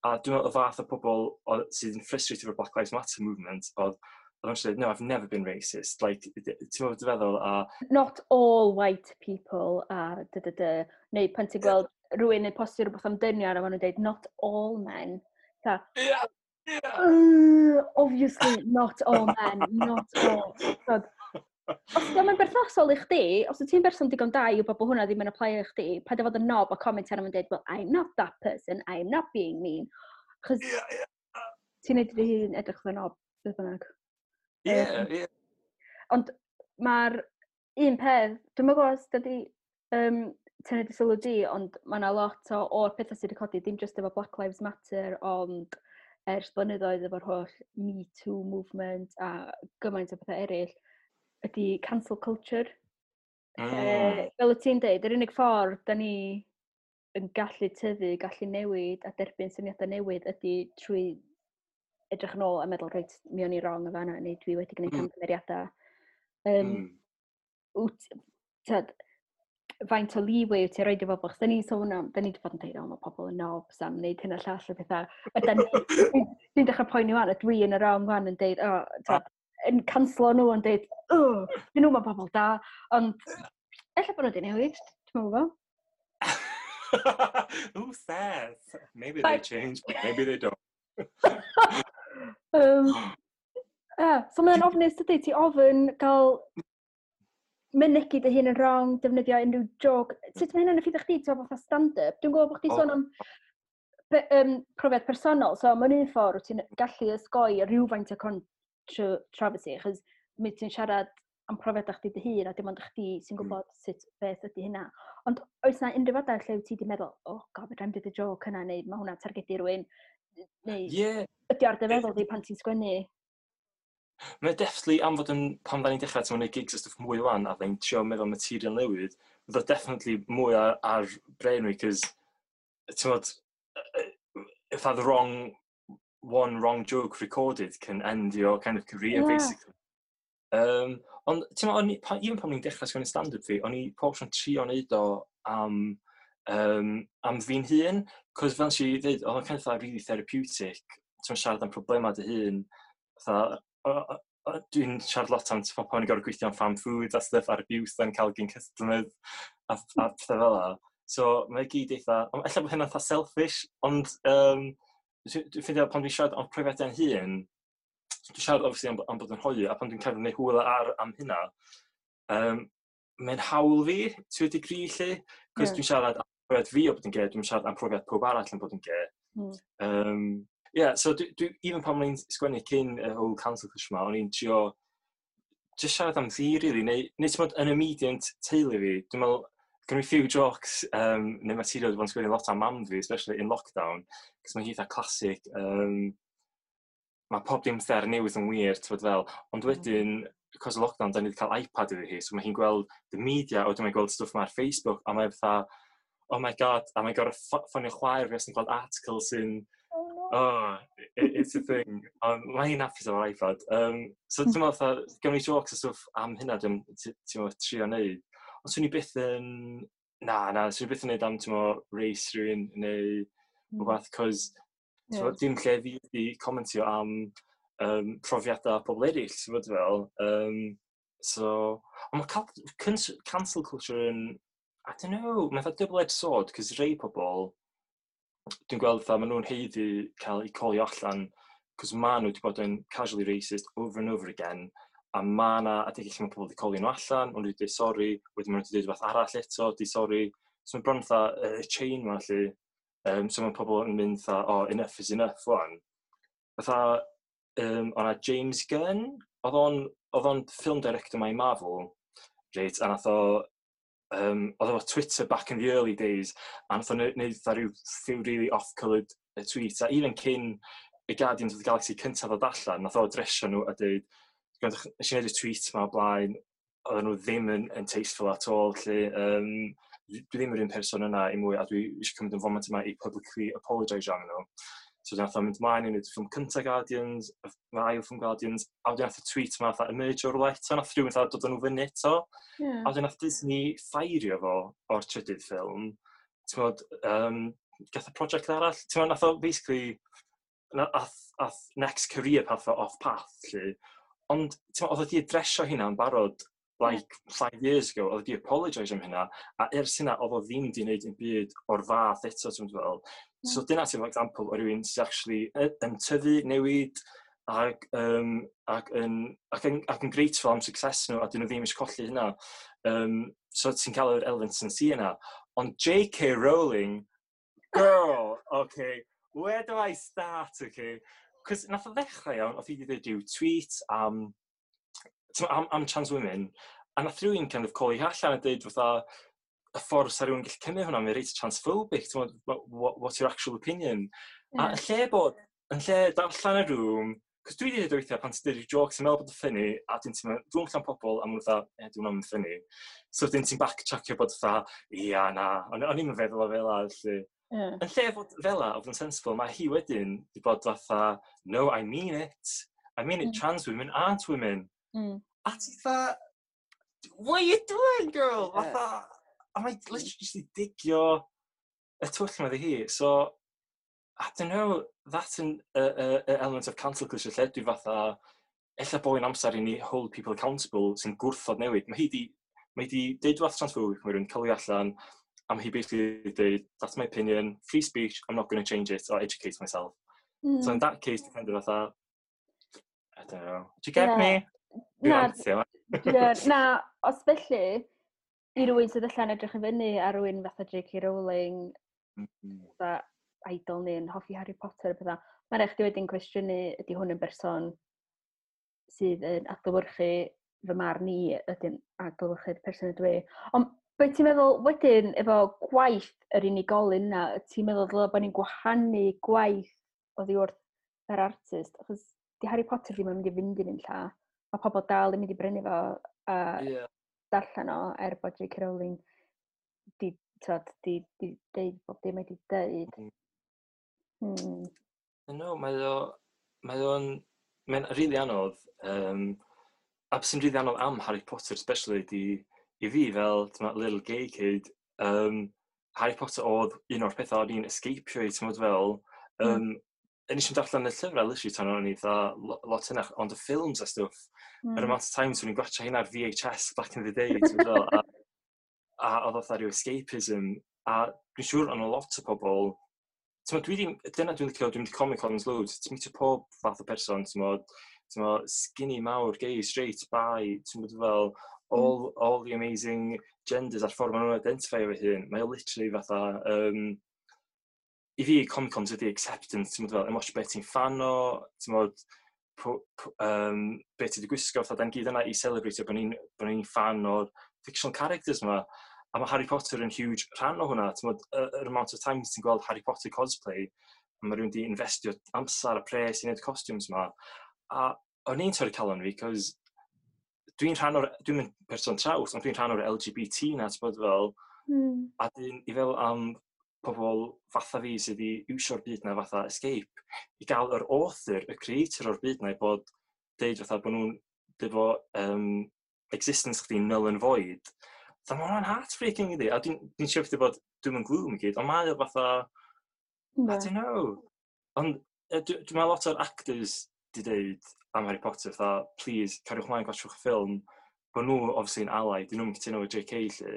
Speaker 3: A dwi'n meddwl y fath o pobl sydd yn frustrated efo'r Black Lives Matter movement, oedd yn dweud, "No, I've never been racist." Like, ti'n meddwl dy feddwl, a
Speaker 2: "Not all white people", a dy dy dy. Neu pan ti'n gweld rhywun yn postio rhywbeth am dynion a maen nhw'n dweud, "Not all men." Ta, obviously not all men, not all. Tod, os dio'm yn berthnasol i chdi, os wyt ti'n berson digon da i wybod bod hwnna ddim yn apply i chdi, paid â fod yn knob a comment arno fo'n dweud, "Well, I'm not that person, I'm not being mean." Chos ti'n neud dy hun edrych fel knob, beth bynnag.
Speaker 3: Ie, ie.
Speaker 2: Ond mae'r un peth, dwi'n meddwl os dydy tynnu dy sylw di, ond mae yna lot o'r pethau sydd wedi codi, dim just efo Black Lives Matter, ond ers blynyddoedd efo'r holl Me Too movement a gymaint o pethau eraill, ydy cancel culture. Fel y ti'n deud, yr unig ffordd da ni yn gallu tyfu, gallu newid a derbyn syniadau newydd ydy trwy edrych yn ôl a meddwl, "Reit, mi o'n i wrong o fanna, neu dwi wedi gwneud camgymeriadau." Wyt, tyd, faint o leeway wyt ti'n rhoid i bobl? Chos da ni'n sôn am, da ni wedi bod yn dweud, "O, mae pobl yn knobs am wneud hyn a llall o pethau." A da ni, dwi'n dechrau poeni wan, a dwi yn y wrong wan yn deud, o, tyd, yn canslo nhw yn deud, "O, dyn nhw, mae pobl da." Ond, ella bod nhw wedi newid, ti'n meddwl?
Speaker 3: Who says? Maybe they change, but maybe they don't.
Speaker 2: Yeah, so mae'n ofnus, dydy, ti ofyn gael mynegu dy hun yn wrong, defnyddio unrhyw joke. Sut mae hynna'n effeithio chdi, ti'n fatha stand-up? Dwi'n gwybod bod chdi sôn am profiad personol, so mewn un ffordd wyt ti'n gallu osgoi rhywfaint o controversy, achos mi ti'n siarad am profiad chdi dy hun, a dim ond chdi sy'n gwybod sut beth ydy hynna. Ond oes na unrhyw adeg lle wyt ti wedi meddwl, "Oh God, fedra i'm dweud y joke yna," neu "Mae hwnna'n targedu rhywun," neu ydy ar dy feddwl di pan ti'n sgwennu?
Speaker 3: Mae definitely am fod yn, pan da ni'n dechrau ti'n gwneud gigs a stwff mwy wan, a da ni'n trio meddwl material newydd, fydd o definitely mwy ar brain fi, cos, ti'n modd, if the wrong, one wrong joke recorded can end your kind of career, basically. Ond, ti'n modd, even pan ni'n dechrau sgwennu stand-up fi, o'n i pob tro'n trio neud o am fi'n hun, cos fel nes i ddweud, oedd o'n kind of fatha really therapeutic, ti'n siarad am problemau dy hun, fatha, dwi'n siarad lot am ti'n pan i'n gorfod gweithio am farm food a stuff ar abuse da'n cael gen customers a pethau fel 'na. So mae gyd eitha, ond ella bod hynna'n eitha selfish, ond dwi'n ffeindio pan dwi'n siarad am profiadau'n hun, dwi'n siarad obviously am bod yn hoyw, a pan dwi'n cael gwneud hwyl ar am hynna, mae'n hawl fi, to a degree lle, cos dwi'n siarad am profiad fi o bod yn gay, dwi'n siarad am profiad pob arall yn bod yn gay. Yeah, so dwi, even pan o'n i'n sgwennu cyn y whole cancel culture ma, o'n i'n trio just siarad am fi, really, neu ti'n bod yn immediate teulu fi, dwi'n meddwl, gen i few jokes, neu material dwi'n bod yn sgwennu lot am mam fi, especially in lockdown, cos mae hi eitha classic, mae pob dim sydd ar y newydd yn wir, ti'n bod fel, ond wedyn, cos o lockdown, da ni wedi cael iPad iddi hi, so mae hi'n gweld the media, a wedyn mae'n gweld stwff ma ar Facebook, a mae'n fatha, "Oh my God," a mae'n gorfod ffonio chwaer fi os yn gweld article sy'n,
Speaker 2: Oh, no.
Speaker 3: Oh, it's a thing. Ond mae hi'n hapus efo'r iPad. So dwi'n meddwl, fatha, gawn ni jokes a stwff am hynna, dwi'n ti'n meddwl, trio neud. Ond swn i byth yn... Na, na, swn i byth yn neud am, ti'n meddwl, race rhywun neu rhywbeth, cos dim lle fi wedi commentio am profiadau pobl eraill, ti'n bod fel. So, ond mae cancel culture yn, I don't know, mae'n fatha double-edged sword, cos rei pobl, Dwi'n gweld fatha, maen nhw'n haeddu cael eu callio allan, cos maen nhw wedi bod yn casually racist over and over again, a ma' 'na adegau lle mae pobl wedi callio nhw allan, maen nhw wedi dweud sori, wedyn maen nhw wedi dweud rhywbeth arall eto, di sori. So mae'n bron fatha y chain 'ma 'lly. So mae pobl yn mynd fatha, "Oh, enough is enough wan." Fatha, o'na James Gunn, oedd o'n film director 'ma i Marvel, reit, a nath o, oedd o Twitter back in the early days, a nath o neud fatha rhyw few really off-coloured tweets, a even cyn y Guardians of the Galaxy cyntaf ddod allan, nath o adresio nhw a dweud, "Gwrandwch, nes i wneud y tweet ma o blaen, oedden nhw ddim yn tasteful at all, lle, dwi ddim yr un person yna i mwy, a dwi eisiau cymryd y foment yma i publicly apologise am nhw." So nath o mynd mlaen i wneud y ffilm cyntaf Guardians, y ail ffilm Guardians, a wedyn nath y tweet yma fatha emerge o'r rhywle eto, nath rhywun fatha dod â nhw fyny eto. A wedyn nath Disney ffirio fo o'r trydydd ffilm. Ti'n gwbod, gath y prosiect arall. Ti'n gwbod, nath o basically, ath next career path o off path, lle. Ond, ti'n gwbod, oedd o wedi adresio hynna yn barod, like, 5 years ago, oedd o wedi apologise am hynna, a ers hynna, oedd o ddim wedi gwneud yn byd o'r fath eto, ti'n gwbod fel. So dyna ti'n example o rhywun sy'n actually yn tyfu, newid, ac yn grateful am success nhw, a dyn nhw ddim eisiau colli hynna. So ti'n cael yr element sincere yna. Ond J.K. Rowling, girl, okay, where do I start, okay? Cos nath o ddechrau iawn, oedd hi wedi dweud rhyw tweet am, t'mo', am trans women, a nath rhywun kind of call hi allan a dweud fatha, y ffordd sa rhywun gallu cymryd hwnna, mae'n reit transphobic, ti'n gwbod, what's your actual opinion? A yn lle darllen y room, cos dwi wedi dweud weithiau pan ti'n dweud rhyw jokes yn meddwl bod yn funny, a dwi'n teimlo, dwi'n allan pobl, a maen nhw fatha, "Eh, dwi'n meddwl funny." So wedyn ti'n backtrackio bod fatha, "Ia, na, o'n i'm yn feddwl o fel 'a," felly. Yn lle fod fel 'a, o fod yn sensible, mae hi wedyn di bod fatha, "No, I mean it. I mean it, trans women aren't women." A ti fatha, "What are you doing, girl?" Fatha, a mae literally just i digio y twll yma iddi hi. So, I don't know, that's an a element of cancel culture lle dwi fatha, ella bod yn amser i ni hold people accountable sy'n gwrthod newid. Mae hi di deud wrth transphobic, mae rhywun callio allan, a mae hi basically deud, "That's my opinion, free speech, I'm not going to change it or educate myself." So in that case, dwi'n kind of fatha, I don't know. Do you get me? Dwi'n
Speaker 2: Na,
Speaker 3: rantio.
Speaker 2: Ie, na, os felly, i rywun sydd allan edrych i fyny ar rywun fatha J.K. Rowling, fatha idol ni yn hoffi Harry Potter a pethau, mae'n rhaid chdi wedyn cwestiynu ydy hwn yn berson sydd yn adlewyrchu fy marn i, ydy'n adlewyrchu'r person ydw i. Ond beth ti'n meddwl wedyn efo gwaith yr unigolyn yna, ti'n meddwl dylai bod ni'n gwahanu gwaith oddi wrth yr artist? Achos di Harry Potter ddim yn mynd i fynd i fynd lla. Mae pobl dal yn mynd i brynu fo a darllen o, er bod J.K. Rowling di, t'od, di deud bob dim mae di deud.
Speaker 3: No, mae'n rili anodd. A beth sy'n rili anodd am Harry Potter, especially, di, i fi fel t'mo', little gay kid, Harry Potter oedd un o'r pethau o'n i'n escapio i, ti'n fel, nes i'm darllen y llyfrau, literally, tan o'n i fatha lot hynach, ond y ffilms a stwff, yr amount of times o'n i'n gwatcha hynna ar VHS back in the day, ti'n fel, a oedd fatha rhyw escapism, a dwi'n siŵr o'n lot o pobl, ti'n meddwl, dwi ddim, dyna dwi'n licio, dwi'n mynd i Comic Cons loads, ti'n meetio pob fath o person, ti'n meddwl, skinny, mawr, gay, straight, bi, ti'n meddwl fel, all the amazing genders a'r ffordd maen nhw'n identify efo hun, mae o literally fatha, i fi, Comic Cons ydi acceptance, ti'n meddwl fel, dim ots beth ti'n fan o, ti'n meddwl, beth ti wedi gwisgo, fatha, da'n gyd yna i celebrate bod ni'n fan o'r fictional characters yma. A mae Harry Potter yn huge rhan o hwnna. Ti'n meddwl, yr amount of times ti'n gweld Harry Potter cosplay, a mae rhywun wedi investio amser a pres i wneud costumes yma. A o'n i'n torri calon fi, cos dwi'n rhan o'r, dwi'n yn person traws, ond dwi'n rhan o'r LGBT na, ti'n bod fel, a dyn, i fel am pobl fatha fi sydd wedi iwsio'r byd na fatha escape, i gael yr author, y creator o'r byd na i bod, deud fatha bod nhw'n deud fo existence chdi null and void. Fatha, mae hwnna'n heartbreaking iddi. A dwi'n siŵr chdi bod dwi'n yn gloom i gyd, ond mae o fatha, I don't know. Ond dwi'n meddwl lot o'r actors di deud am Harry Potter, fatha, "Please, cariwch mlaen gwatchwch y ffilm," bod nhw obviously yn ally, dyn nhw'n cytuno efo JK lle,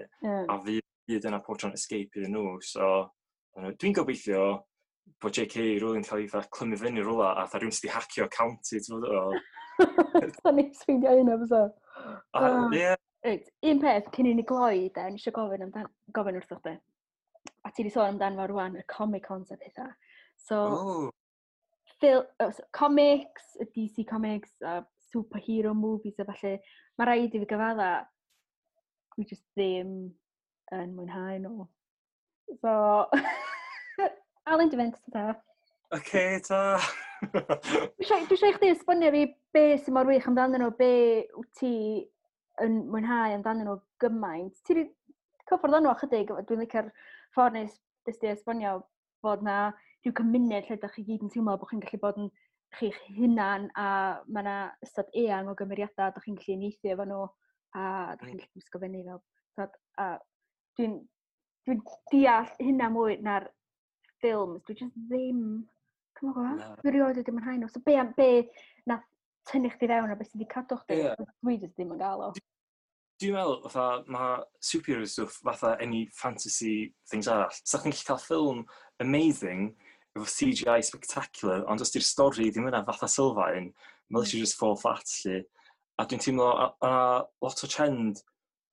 Speaker 3: a fi byd yna pob tro'n escape iddyn nhw, so I don't know, dwi'n gobeithio bod J.K. Rowling cael ei fatha clymu fyny rwla a fatha rhywun sydd wedi hacio account i, ti'n gwbod o.
Speaker 2: Sa'n neis ffeindio hynna, fysa.
Speaker 3: A, ie.
Speaker 2: Reit, un peth cyn i ni gloi, de, o'n i eisiau gofyn, amdan, gofyn wrtho chdi. A ti wedi sôn amdano fo rwan, y Comic Cons a pethau. So,
Speaker 3: Oh,
Speaker 2: so, comics, y DC Comics, a superhero movies a falle, mae rhaid i fi gyfadda, dwi just ddim yn mwynhau nhw. So, Alun, di fynd, ta.
Speaker 3: Oce, ta.
Speaker 2: Dwi eisiau i chdi esbonio fi be sy'n mor wych amdanyn nhw, be wyt ti yn mwynhau amdanyn nhw gymaint. Ti wedi cyffwrdd â nhw ychydig, dwi'n licio'r ffordd nes di esbonio bod na rhyw cymuned lle ydych chi gyd yn teimlo bod chi'n gallu bod yn chi'ch hunan a mae yna ystod eang o gymeriadau ydych chi'n gallu uniaethu efo nhw a ydych chi'n gallu gwisgo fyny fel. T'od, a dwi deall hynna mwy na'r ffilms. Dwi just ddim, dwi'm yn gwybod, dwi erioed wedi mwynhau nhw. So be am be nath tynnu chdi fewn a beth sydd wedi cadw chdi? Dwi just ddim yn gael o.
Speaker 3: Dwi'n meddwl, fatha, mae superhero stuff fatha any fantasy things arall. Sa chdi'n gallu cael ffilm amazing efo CGI spectacular, ond os di'r stori ddim yna fatha sylfaen, mae literally just fall flat, lle. A dwi'n teimlo, a lot o trend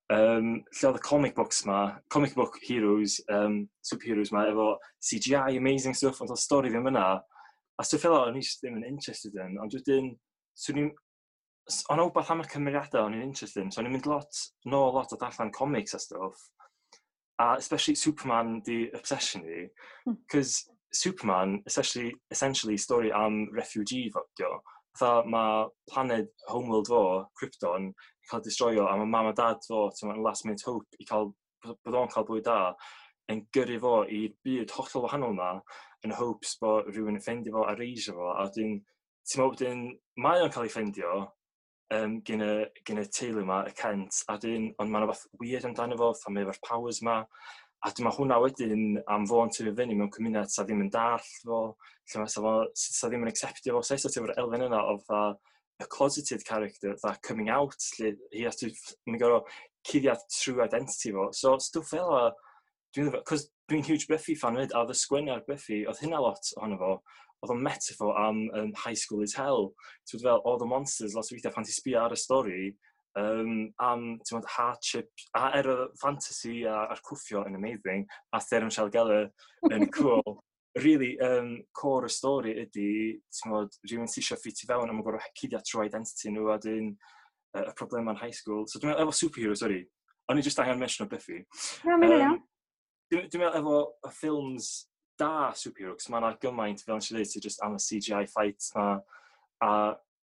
Speaker 3: lle oedd y comic books ma, comic book heroes, superheroes ma, efo CGI amazing stuff, ond oedd stori ddim yna. A stwff fel o'n i just ddim yn interested in, ond wedyn, swn i'n o'n wbeth am y cymeriadau o'n i'n interested in, so o'n i'n mynd lot, nôl lot o darllen comics a stuff, a especially Superman di obsession fi, cos Superman, essentially story am refugee fo, dio. Fatha mae planet homeworld fo, Krypton, yn cael destroyo, a mae mam a dad fo, ti'n meddwl, last minute hope i cael, bod o'n cael bywyd da, yn gyrru fo i'r byd hollol wahanol ma, yn hopes bod rhywun yn ffeindio fo a raisio fo, a wedyn, ti'n meddwl wedyn, mae o'n cael ei ffeindio gyn y teulu ma, y Kent, a wedyn, ond mae'n rhywbeth weird amdano fo, fatha mae efo'r powers ma, a dwi'n meddwl hwnna wedyn am fo'n tyfu fyny mewn cymuned sa ddim yn dallt fo, lle ma' sa fo, sa ddim yn acceptio fo, so eto ti efo'r elfen yna o fatha y closeted character, fatha coming out, lle he has to, mae'n gorfod cuddiad true identity fo. So stwff fel 'a, dwi'n lyfio, cos dwi'n huge Buffy fan 'fyd, a oedd y sgwennu ar Buffy, oedd hynna lot ohono fo, oedd o'n metaphor am high school is hell. Ti'n fel, all the monsters, lot o weithiau pan ti'n sbio ar y stori, am, ti'n gwbod, hardship, a er y fantasy a'r cwffio yn amazing, a Sarah Michelle Gellar yn cool. Really, core y stori ydy, ti'n gwbod, rhywun sy'n eisiau ffitio fewn a mae'n gorfod cuddio true identity nhw a dyn y problemau yn high school. So dwi'n meddwl efo superhero, sorry, o'n i just angen mention o Buffy.
Speaker 2: Na, mae'n iawn.
Speaker 3: Dwi'n meddwl efo y ffilms da superhero, cos mae yna gymaint, fel nes i ddweud, sydd just am y CGI fights ma, a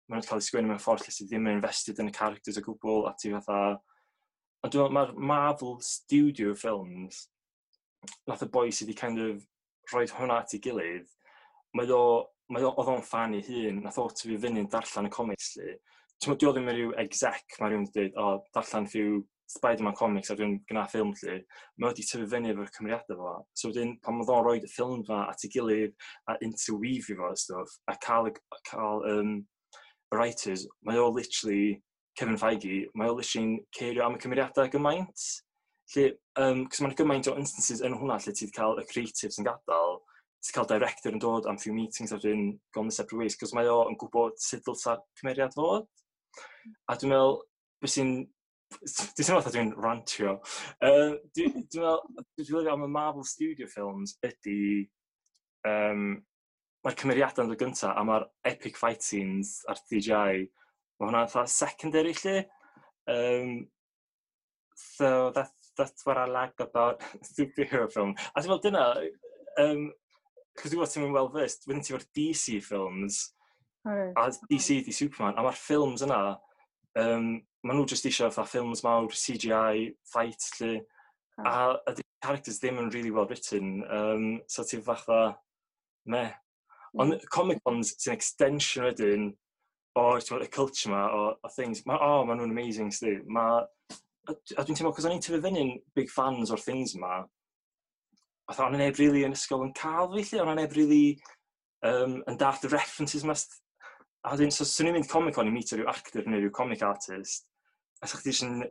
Speaker 3: maen nhw'n cael eu sgwennu mewn ffordd lle sydd ddim yn invested yn y characters o gwbl, a ti fatha. Ond dwi'n meddwl mae'r Marvel Studio films, nath y boi sydd wedi kind of rhoi hwnna at ei gilydd, mae o, oedd o'n fan ei hun, nath o tyfu fyny'n darllen y comics lle. Ti'n meddwl, di o ddim yn rhyw exec, mae rhywun wedi dweud, "O, darllen few Spider-Man comics a dwi'n gwna ffilm lle." Mae wedi tyfu fyny efo'r cymeriadau fo. So wedyn, pan oedd o'n rhoi y ffilm fa at ei gilydd a interweave fo a stuff, a cael writers, mae o literally, Kevin Feige, mae o literally'n cerio am y cymeriadau gymaint. Lle, cos mae'n gymaint o instances yn hwnna lle ti'n cael y creatives yn gadael, ti'n cael director yn dod am few meetings a wedyn gone the separate ways, cos mae o yn gwybod sut dylsa cymeriad fod. A dwi'n meddwl, beth sy'n... Dwi'n teimlo fatha dwi'n rantio. Dwi'n meddwl, dwi'n meddwl am y Marvel Studio films ydy, mae'r cymeriadau yn dod gyntaf a mae'r epic fight scenes a'r CGI, mae hwnna'n fatha secondary lle. So that's what I like about superhero film. A ti'n meddwl dyna, cos dwi'n gwybod ti'n mynd well versed, wedyn ti efo'r DC films, a DC di Superman, a mae'r ffilms yna, maen nhw just eisiau fatha ffilms mawr, CGI, fight, lle, a the characters ddim yn really well written, so ti'n fatha, meh. Ond Comic Cons sy'n extension wedyn o'r, ti'n gwbod, y culture ma, o things, ma, oh, ma nhw'n amazing, sti. Ma, a dwi'n teimlo, cos o'n i'n tyfu fyny'n big fans o'r things ma, fatha, o'n i neb really yn ysgol yn cael fi, lle, o'n i neb really yn dallt y references ma. A wedyn, so, swn i'n mynd Comic Con i meet rhyw actor neu rhyw comic artist, a sa chdi jyst yn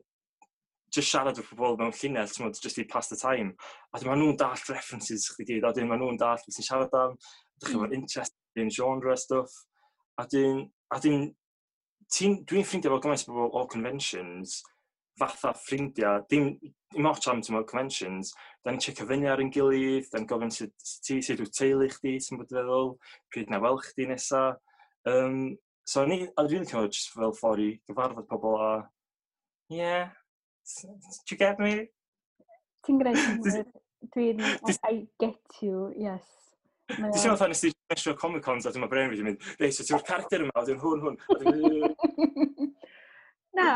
Speaker 3: Just siarad efo pobl mewn llinell, ti'n modd, just i pass the time. A dyn maen nhw'n dallt references chdi gyd, a dyn maen nhw'n dallt beth ti'n siarad am, dych chi'n interest in genre stuff. A dyn, dwi'n ffrindiau efo gymaint o bobl o conventions, fatha ffrindiau, dim ots am, ti'n conventions, da ni'n checio fyny ar ein gilydd, da ni'n gofyn sut ti, sut wyt teulu chdi, sy'n bod yn feddwl, pryd na weld chdi nesa. So ni, a dwi'n cymryd just fel ffordd i gyfarfod pobl a, yeah, do you get me?
Speaker 2: Ti'n gwneud synhwyr. I get you, yes.
Speaker 3: Dwi'n teimlo fatha nes i mesio Comic Cons a dwi'n brain fi wedi mynd, "Reit, so ti'n character yma, a dwi'n hwn, hwn." A
Speaker 2: Na,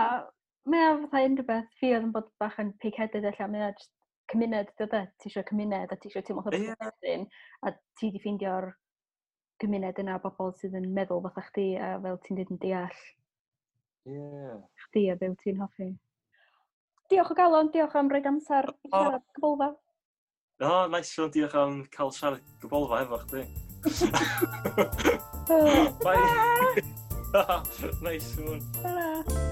Speaker 2: mae o fatha unrhyw beth, fi oedd yn bod bach yn pig-headed ella, mae o just cymuned, dy de, ti eisiau cymuned a ti eisiau teimlo fatha yeah. a ti di ffeindio'r gymuned yna o bobl sydd yn meddwl fatha chdi a fel ti'n dweud yn deall chdi a be wyt ti'n hoffi. Diolch o galon, diolch am roid amser i siarad gybolfa.
Speaker 3: No, nice one, diolch am cael siarad gybolfa efo chdi. Bye. Nice one.
Speaker 2: Ta-ra.